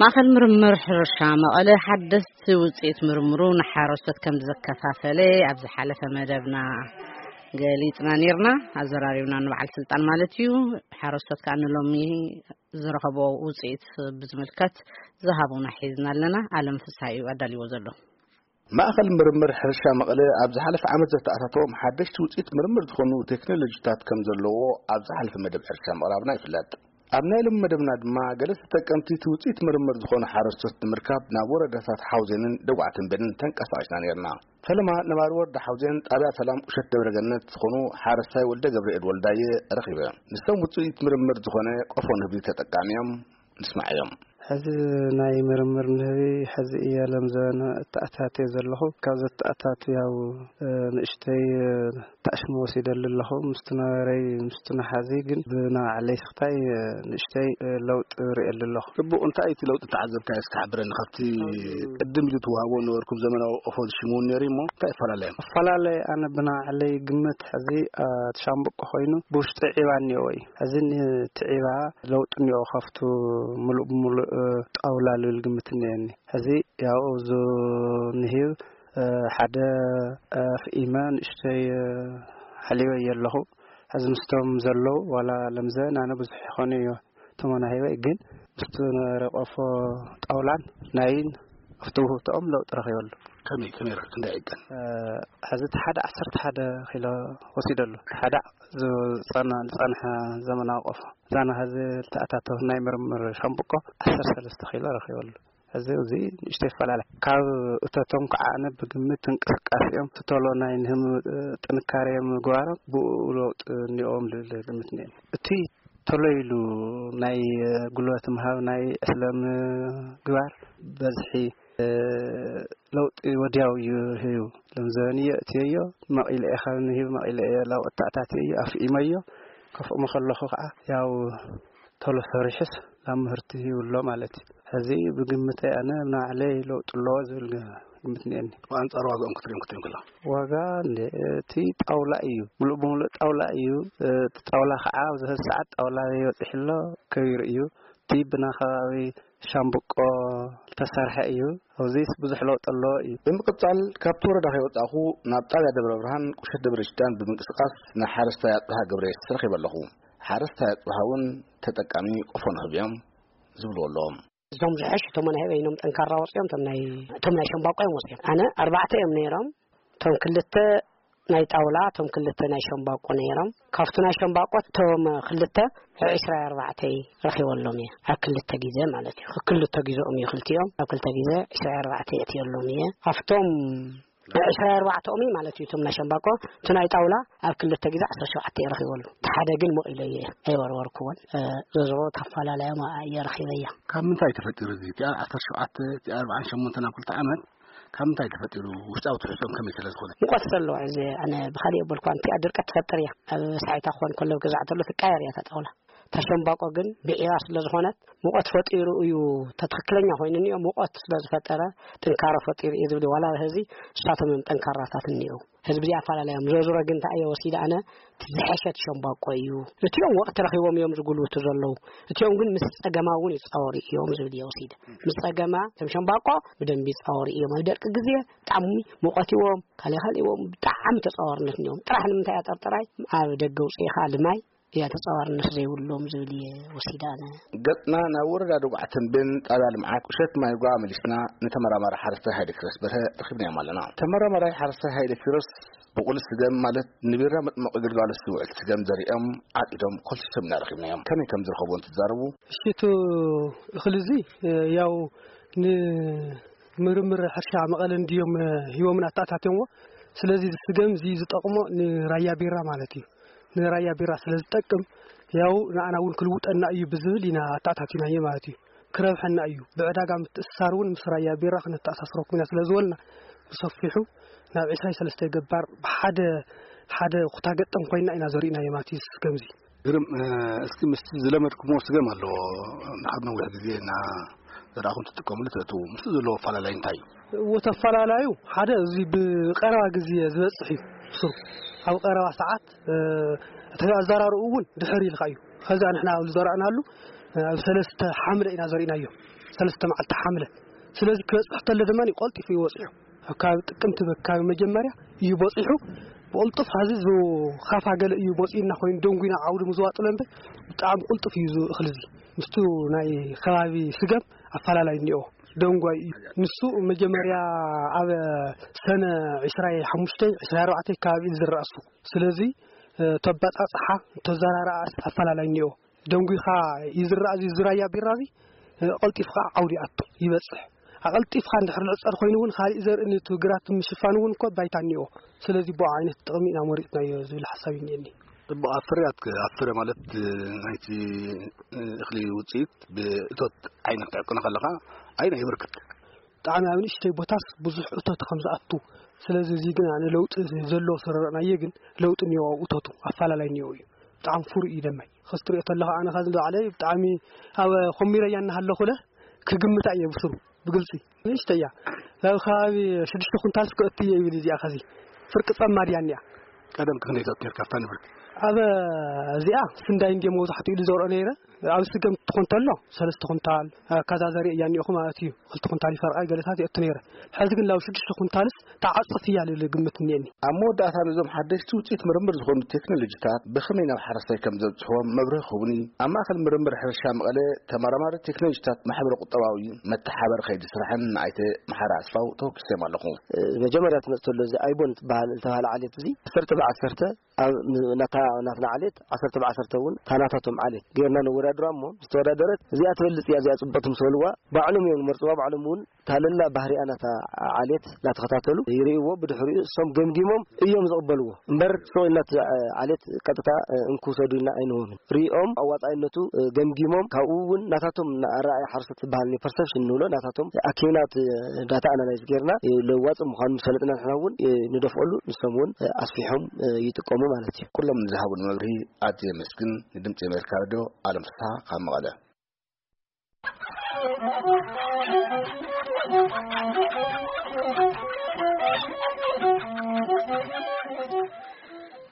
ማእኸል ምርምር ሕርሻ መቐለ ሓደስቲ ውፅኢት ምርምሩ ንሓረስቶት ከም ዘከፋፈለ ኣብ ዝሓለፈ መደብና ገሊፅና ነርና፣ ኣዘራሪብና ንበዓል ስልጣን ማለት እዩ። ሓረስቶት ከዓ ንሎሚ ዝረኸቦ ውፅኢት ብዝምልከት ዝሃቡና ሒዝና ኣለና። ኣለም ፍስሃ እዩ ኣዳልዎ ዘሎ። ማእኸል ምርምር ሕርሻ መቐለ ኣብ ዝሓለፈ ዓመት ዘተኣታተዎም ሓደሽቲ ውፅኢት ምርምር ዝኾኑ ቴክኖሎጂታት ከም ዘለዎ ኣብ ዝሓለፈ መደብ ሕርሻ ምቕራብና ይፍለጥ። ኣብ ናይ ሎም መደብና ድማ ገለ ተጠቀምቲ እቲ ውፅኢት ምርምር ዝኾኑ ሓረስቶት ንምርካብ ናብ ወረዳታት ሓውዜንን ደጉዓ ተንቤንን ተንቀሳቒስና ነርና። ፈለማ ነባሪ ወረዳ ሓውዜን ጣብያ ሰላም ቁሸት ደብረ ገነት ዝኾኑ ሓረስታይ ወልደ ገብርኤል ወልዳየ ረኺበ። ንሶም ውፅኢት ምርምር ዝኾነ ቆፎ ንህቢ ተጠቃሚ እዮም። ንስማዕ እዮም። ሕዚ ናይ ምርምር ንህቢ ሕዚ እየ ለምዘበነ እተኣታትየ ዘለኹ። ካብ ዘተኣታቱ ያው ንእሽተይ ታሽሙ ወሲደሉ ኣለኹ። ምስቲ ነበረይ ምስቲ ንሓዚ ግን ብናባዕለይ ስኽታይ ንእሽተይ ለውጢ ርእየሉ ኣለኹ። ጽቡቕ፣ እንታይ እቲ ለውጢ ተዓዘብካዮ እስኪ ሓብረኒ። ካብቲ ቅድም ኢሉ ትወሃቦ ነበርኩም ዘመናዊ ኦፎን ሽሙ እውን ነይሩ እሞ እንታይ ይፈላለዮም? ኣፈላለየ ኣነ ብናባዕለይ ግምት ሕዚ እቲ ሻምብቆ ኮይኑ ብውሽጢ ዒባ እኒኦ እዩ። ሕዚ እቲ ዒባ ለውጢ እኒኦ ካብቱ ምሉእ ብምሉእ ጣውላ ልብል ግምት እኒአኒ። ሕዚ ያው እዚ ንሂብ ሓደ ኣፍኢመ ንእሽተይ ሓሊበ እየ ኣለኹ። ሕዚ ምስቶም ዘለዉ ዋላ ለምዘ ናነ ብዙሕ ይኾነ እዩ ተመናሂበ ግን ምስቲ ነበረ ቆፎ ጣውላን ናይን ኣብቲ ውህብቶኦም ለውጢ ረኺበሉ። ከመይ ከመይ ረኺ ክንደይ ዕቀን? ሕዚ እቲ ሓደ ዓሰርተ ሓደ ኪሎ ወሲደሉ። እቲ ሓደ ዝጸና- ዝጸንሐ ዘመናዊ ቆፎ እዛና ሕዚ ዝተኣታተው ናይ ምርምር ሻምብቆ ዓሰርተ ሰለስተ ኪሎ ረኺበሉ። ሕዚ እዚ ንእሽቶ ይፈላለ። ካብ እቶቶም ከዓ ኣነ ብግምት እንቅስቃሴኦም ትቶሎ ናይ ንህም ጥንካሬ ምግባሮም ብኡ ለውጢ እኒኦም ልብል ግምት እኒአኒ። እቲ ቶሎ ኢሉ ናይ ጉልበት ምሃብ ናይ ዕስለ ምግባር በዝሒ ለውጢ ወዲያው እዩ ህዩ። ለምዘበንዮ እትየዮ መቒለ እየ ካብ ንሂብ መቒለ እየ ላብ ኣተኣታትየ እዩ ኣፍኢመዮ። ከፍእሞ ከለኹ ከዓ ያው ቶሎ ሰሪሑስ ናብ ምህርቲ ይውሎ ማለት እዩ። ሕዚ ብግምተይ ኣነ ንባዕለይ ለውጢ ኣለዎ ዝብል ግ- ግምት እኒአኒ። ብኣንጻር ዋጋኦም ክትሪኦም ክትሪኦም ከለኻ? ዋጋ እንደ እቲ ጣውላ እዩ፣ ሙሉእ ብሙሉእ ጣውላ እዩ። እቲ ጣውላ ከዓ ኣብዚ ሰዓት ጣውላ ይበፅሕ ኣሎ፣ ከቢሩ እዩ። እቲ ብና ከባቢ ሻምብቆ ዝተሰርሐ እዩ። ኣብዚስ ብዙሕ ለውጢ ኣለዎ እዩ። ብምቕጻል ካብቲ ወረዳ ከይወጻእኹ ናብ ጣብያ ደብረ ብርሃን ቁሸት ደብረ ሽዳን ብምንቅስቃስ ንሓረስታይ ኣጽብሃ ገብረየስ ረኺበ ኣለኹ። ሓረስታይ ኣጽብሃ እውን ተጠቃሚ ቆፎ ንህብ እዮም ዝብልዎ ኣለዎም። እዞም ዝሐሽ እቶም ናይ በይኖም ጠንካራ ወፂኦም እቶም ናይ እቶም ናይ ሸምባቆ እዮም ወፂኦም። ኣነ ኣርባዕተ እዮም ነይሮም። እቶም ክልተ ናይ ጣውላ እቶም ክልተ ናይ ሸምባቆ ነይሮም። ካብቲ ናይ ሸምባቆ እቶም ክልተ ዕስራ ኣርባዕተ ረኺበሎም እየ ኣብ ክልተ ግዜ ማለት እዩ። ክልተ ግዜኦም እዩ ክልቲኦም ኣብ ክልተ ግዜ ዕስራ ኣርባዕተ እትየሎም እየ ኣብቶም ዕስራ ኣርባዕተኦም እዩ ማለት እዩ። እቶም ናይ ሸምባቆ እቲ ናይ ጣውላ ኣብ ክልተ ግዜ ዓሰርተ ሸውዓተ ረኺበሉ። እቲ ሓደ ግን መቒሎ እየ ኣይወርወርኩዎን። እ፣ ዘዝሮ ተፈላለዮም እየ ረኺበያ። ካብ ምንታይ ተፈጢሩ እዚ? እቲኣ ዓሰርተ ሸውዓተ፣ እቲኣ ኣርባዓን ሸሞንተን ኣብ ክልተ ዓመት ካብ ምንታይ ተፈጢሩ? ውሽጣዊ ትሕዝኦም ከመይ ስለ ዝኾነ? ሙቐት ዘለዎ እዚ ኣነ ብኻሊእ የበልኳን። እቲኣ ድርቀት ትፈጥር እያ። ኣብ ሳዒታ ክኾን ከሎ ገዛዕ ተሎ ትቃየር እያ እታ ጣውላ። እታ ሸምባቆ ግን ብዒራ ስለ ዝኾነት ሙቐት ፈጢሩ እዩ። እታ ትኽክለኛ ኮይኑ እኒኦ ሙቐት ስለ ዝፈጠረ ጥንካረ ፈጢሩ እዩ ዝብል። ዋላ ህዚ እሳቶም እዮም ጠንካራታት እኒኦ። ህዝቢ እዚኣ ኣፈላለዮም። ዞዝሮ ግን እንታይ እየ ወሲደ ኣነ? እቲ ዝሐሸት ሸምባቆ እዩ። እቲኦም ወቕቲ ረኺቦም እዮም ዝጉልብቱ ዘለዉ። እቲኦም ግን ምስ ጸገማ እውን ይጻወሩ እዮም ዝብል እየ ወሲደ። ምስ ጸገማ እቶም ሸምባቆ ብደንቢ ይጻወሩ እዮም። ኣብ ደርቂ ግዜ ብጣዕሚ ሙቐት ይዎም፣ ካልእ ካልእ ይዎም፣ ብጣዕሚ ተጻዋርነት እኒኦም። ጥራሕ ንምንታይ እያ ጠርጠራይ? ኣብ ደገ ውፅኢኻ ልማይ እያ ተጻዋርነት ዘይብሎም ዝብል እየ ወሲደ ኣነ። ገጽና ናብ ወረዳ ደጉዓ ተንቤን ጣብያ ልምዓት ቁሸት ማይ ጓ መሊስና ንተመራማሪ ሓረስታይ ሃይለ ኪሮስ በርሀ ረኺብናዮም ኣለና። ተመራማራይ ሓረስታይ ሃይለ ኪሮስ ብቑሊ ስገም ማለት ንቢራ መጥመቒ ግልጋሎት ዝውዕል ስገም ዘሪኦም ዓቂዶም ኮልቲሶም ኢና ረኺብናዮም። ከመይ ከም ዝረኸብዎ እንትዛረቡ፣ እሺ፣ እቲ እኽሊ እዚ፣ እ፣ ያው ንምርምር ሕርሻ መቐለ እንድዮም፣ እ፣ ሂቦምን ኣተኣታትዮምዎ። ስለዚ እዚ ስገም እዚ ዝጠቕሞ ንራያ ቢራ ማለት እዩ። ንራያ ቢራ ስለ ዝጠቅም ያው ንኣና እውን ክልውጠና እዩ ብዝብል ኢና ኣተኣታቲናዮ ማለት እዩ። ክረብሐና እዩ። ብዕዳጋ ምትእስሳር እውን ምስ ራያ ቢራ ክነተኣሳስረኩም ኢና ስለ ዝበልና ብሰፊሑ ናብ ዕስራን ሰለስተን ገባር ብሓደ ሓደ ኩታ ገጠም ኮይና ኢና ዘሪእናዮ ማለት እዩ። እዚ ስገም እዚ ግርም፣ እ፣ እስኪ ምስቲ ዝለመድኩሞ ስገም ኣለዎ። ንሓብ ነዊሕ ግዜ እና ደኣ ትጥቀምሉ ትእትዉ ምስቲ ዘለዎ ኣፈላላይ እንታይ እዩ? እዎ ተፈላላዩ ሓደ እዚ ብቀረባ ግዜ ዝበጽሕ እዩ። ስሩ ኣብ ቀረባ ሰዓት እቲ ኣዘራርኡ እውን ድሕር ኢልካ እዩ። ከዛ ንሕና ኣብ ዝዘራእናሉ ኣብ ሰለስተ ሓምለ ኢና ዘሪእናዮ። ሰለስተ መዓልቲ ሓምለ። ስለዚ ክበጽሕ ተሎ ድማ ቀልጢፉ ይወጽሑ። ካብ ጥቅምቲ በካቢ መጀመርያ እዩ በጺሑ። ብቕልጡፍ ሐዚ ዝኻፋ ገለ እዩ መፂኡና ኮይኑ ደንጉና ዓውዲ ምዝዋጥሎ እምበር ብጣዕሚ ቅልጡፍ እዩ እዚ እኽሊ እዚ። ምስቱ ናይ ከባቢ ስገም ኣፈላላይ እኒኦ። ደንጓይ እዩ። ንሱ መጀመርያ ኣብ ሰነ ዕስራይ ሓሙሽተ ዕስራይ ኣርባዕተ ከባቢ እዩ ዝረእሱ። ስለዚ ተባፃፅሓ ተዘራርኣ ኣፈላላይ እኒኦ። ደንጉኻ ይዝራእ እዚ ዝራያ ቢራ እዚ ቀልጢፍካ ዓውዲ ኣቱ ይበፅሕ። ኣቐልጢፍካ እንድሕር ንዕፀድ ኮይኑ እውን ካሊእ ዘርኢ ነቲ ግራት ምሽፋን እውን እኮ ባይታ እኒኦ። ስለዚ ብኡ ዓይነት ጥቕሚ ኢና መሪፅናዮ ዝብል ሓሳብ እኒአኒ። ጽቡቕ ኣብ ፍርያት ኣብ ፍረ ማለት ናይቲ እኽሊ ውፅኢት ብእቶት ዓይነት ትዕቅኖ ከለኻ ኣይና የበርክት። ብጣዕሚ ኣብ ንእሽተይ ቦታስ ብዙሕ እቶት ከም ዝኣቱ። ስለዚ እዚ ግን ኣነ ለውጢ ዘለዎ ስረረእናየ ግን ለውጢ እኒኦ እቶቱ ኣፈላለይ እኒኦ እዩ። ብጣዕሚ ፍሩይ እዩ ደማይ። ከስትሪኦ ተለኻ ኣነ ከዚ ባዕለይ ብጣዕሚ ኣብ ኮሚረያ እናሃለኹለ ክግምታ እየ ብስሩ ብግልፂ። ንእሽተያ ኣብ ከባቢ ሽዱሽተ ኩንታልስ ክእቱ እየ ይብል እዚኣ ከዚ ፍርቂ ጸማ ድያ እኒኣ። ቀደም ክንደይ ተእቱ ነርካ ኣብታ ንብረት? ኣብ እዚኣ ስንዳይ እንድየ መብዛሕትኡ ኢሉ ዘውርኦ ነይረ። ኣብ ስገም ትኾን ተሎ ሰለስተ ኩንታል ኣካዛዘሪ እያ እኒኦኹ ማለት እዩ። ክልተ ኩንታል ይፈርቃ ገለታት የእቱ ነይረ። ሕዚ ግን ላብ ሽዱሽተ ኩንታልስ ተዓጽፍ እያ ልብል ግምት እኒአኒ። ኣብ መወዳእታ ነዞም ሓደሽቲ ውፅኢት ምርምር ዝኾኑ ቴክኖሎጂታት ብኸመይ ናብ ሓረስታይ ከም ዘብፅሕዎም መብርሂ ክህቡኒ ኣብ ማእኸል ምርምር ሕርሻ መቐለ ተመራማሪ ቴክኖሎጂታት ማሕበረ ቁጠባዊ መተሓበር ከይዲ ስራሕን ንኣይተ መሓሪ ኣስፋው ተወኪሰዮም ኣለኹ። መጀመርያ ትመፅ ተሎ እዚ ኣይቦን ትበሃል ዝተባሃለ ዓሌት እዚ ዓሰርተ ብዓሰርተ ኣብ ናታ ናትና ዓሌት ዓሰርተ ብዓሰርተ እውን ታናታቶም ዓሌት ጌርና ነወዳድራ እሞ ዝተወዳደረት እዚኣ ትበልፅ እያ እዚኣ ፅቡቕቲ ምስ በልዋ ባዕሎም እዮም ዝመርፅዋ። ባዕሎም እውን ታለላ ባህሪኣ ናታ ዓሌት እናተኸታተሉ ይርእይዎ። ብድሕሪኡ እሶም ገምጊሞም እዮም ዝቕበልዎ እምበር ስቕ ኢልና እቲ ዓሌት ቀጥታ እንክውሰዱ ኢልና ኣይንህቦምን። ሪኦም ኣዋፃኢነቱ ገምጊሞም ካብኡ እውን ናታቶም ኣረኣእያ ሓረስቶት ዝበሃል ፐርሰፕሽን ንብሎ ናታቶም ኣኪብና እቲ ዳታ ኣናላይዝ ጌርና ለዋፅ ምዃኑ ምስ ፈለጥና ንሕና እውን ንደፍቀሉ ንሶም እውን ኣስፊሖም ይጥቀሙ ማለት እዩ። ኩሎም ንዝሃቡን መብርሂ ኣዝየ የመስግን። ንድምፂ ኣሜሪካ ሬድዮ ኣለም ፍስሓ ካብ መቐለ።